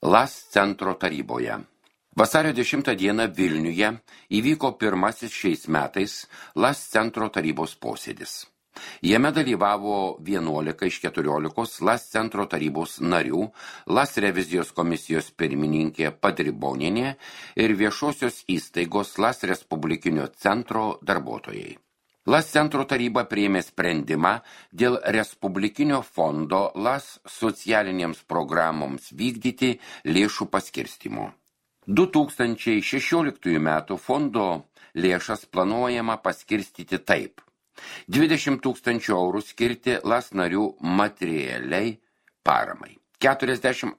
LAS centro taryboje. Vasario 10 dieną Vilniuje įvyko pirmasis šiais metais LAS centro tarybos posėdis. Jame dalyvavo 11 iš 14 LAS centro tarybos narių, LAS revizijos komisijos pirmininkė Padribonienė ir viešosios įstaigos LAS Respublikinio centro darbuotojai. LAS centro taryba priėmė sprendimą dėl Respublikinio fondo LAS socialinėms programoms vykdyti lėšų paskirstymo. 2016 metų fondo lėšas planuojama paskirstyti taip. 20 000 eurų skirti LAS narių materialiai paramai. 48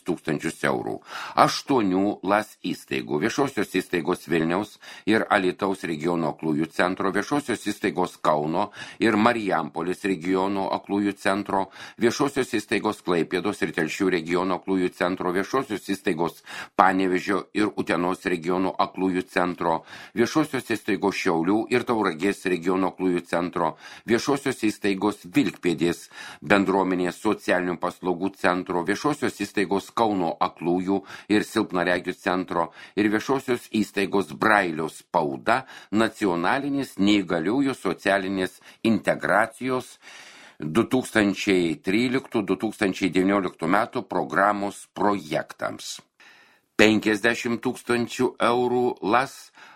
000 eurų. 8 LAS įstaigų, viešosios įstaigos Vilniaus ir Alytaus regiono aklųjų centro, viešosios įstaigos Kauno ir Marijampolės regiono aklųjų centro, viešosios įstaigos Klaipėdos ir Telšių regiono aklųjų centro, viešosios įstaigos Panevėžio ir Utenos regiono aklųjų centro, viešosios įstaigos Šiaulių ir Tauragės regiono aklųjų centro, viešosios įstaigos Vilkpėdės bendruomenės socialinių paslaugų centro, viešosios įstaigos Kauno aklųjų ir silpnaregių centro ir viešosios įstaigos Brailio spauda nacionalinės neįgaliųjų socialinės integracijos 2013-2019 metų programos projektams. 50 000 eurų LAS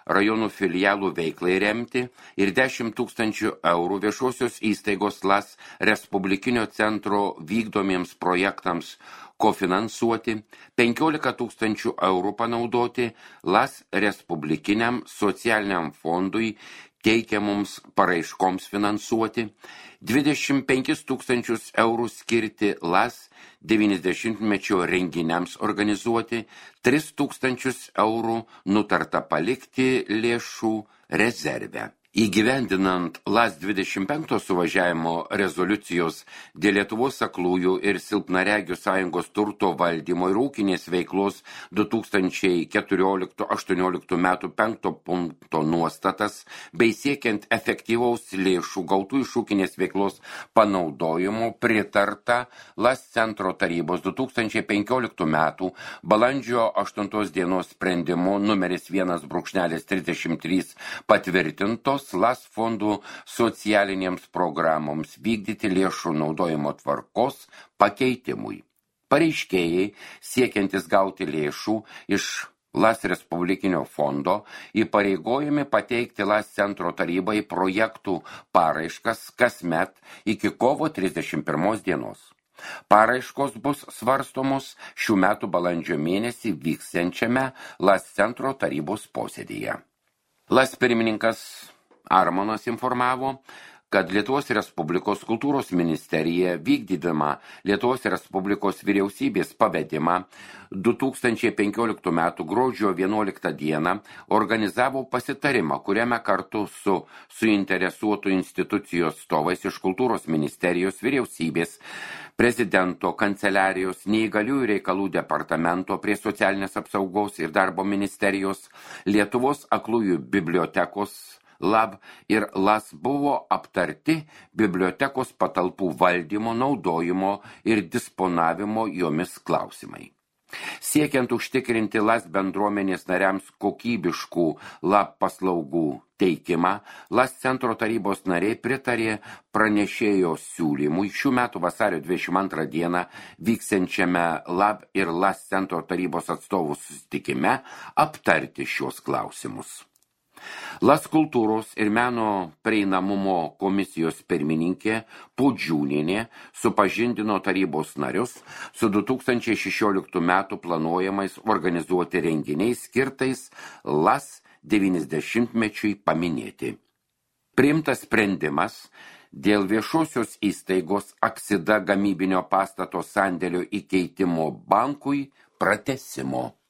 rajonų filialų veiklai remti ir 10 000 eurų viešosios įstaigos LAS Respublikinio centro vykdomiems projektams kofinansuoti, 15 000 eurų panaudoti LAS Respublikiniam socialiniam fondui teikiamoms paraiškoms finansuoti, 25 000 eurų skirti LAS 90-mečio renginiams organizuoti, 3 000 eurų nutarta palikti lėšų rezerve. Įgyvendinant LAS 25 suvažiavimo rezoliucijos dėl Lietuvos aklųjų ir silpnaregių sąjungos turto valdymo ir ūkinės veiklos 2014-18 metų 5 punkto nuostatas, bei siekiant efektyvaus lėšų gautų iš ūkinės veiklos panaudojimo pritarta LAS centro tarybos 2015 metų balandžio 8 dienos sprendimu numeris 1/33 patvirtintos LAS fondų socialinėms programoms vykdyti lėšų naudojimo tvarkos pakeitimui. Pareiškėjai, siekiantis gauti lėšų iš LAS Respublikinio fondo, įpareigojami pateikti LAS centro tarybai projektų paraiškas kasmet iki kovo 31 dienos. Paraiškos bus svarstomos šių metų balandžio mėnesį vyksiančiame LAS centro tarybos posėdyje. LAS pirmininkas Armonas informavo, kad Lietuvos Respublikos kultūros ministerija vykdydama Lietuvos Respublikos vyriausybės pavedimą 2015 m. gruodžio 11 dieną organizavo pasitarimą, kuriame kartu su suinteresuotų institucijų atstovais iš kultūros ministerijos, vyriausybės, prezidento kanceliarijos, neįgaliųjų reikalų departamento prie socialinės apsaugos ir darbo ministerijos, Lietuvos aklųjų bibliotekos LAB ir LAS buvo aptarti bibliotekos patalpų valdymo, naudojimo ir disponavimo jomis klausimai. Siekiant užtikrinti LAS bendruomenės nariams kokybiškų LAB paslaugų teikimą, LAS centro tarybos nariai pritarė pranešėjo siūlymui šių metų vasario 22 dieną vyksiančiame LAB ir LAS centro tarybos atstovų susitikime aptarti šios klausimus. LAS kultūros ir meno prieinamumo komisijos pirmininkė Pudžiūnienė supažindino tarybos narius su 2016 metų planuojamais organizuoti renginiais skirtais LAS 90-mečiui paminėti. Priimtas sprendimas dėl viešosios įstaigos Aksida gamybinio pastato sandėlio įkeitimo bankui pratęsimo.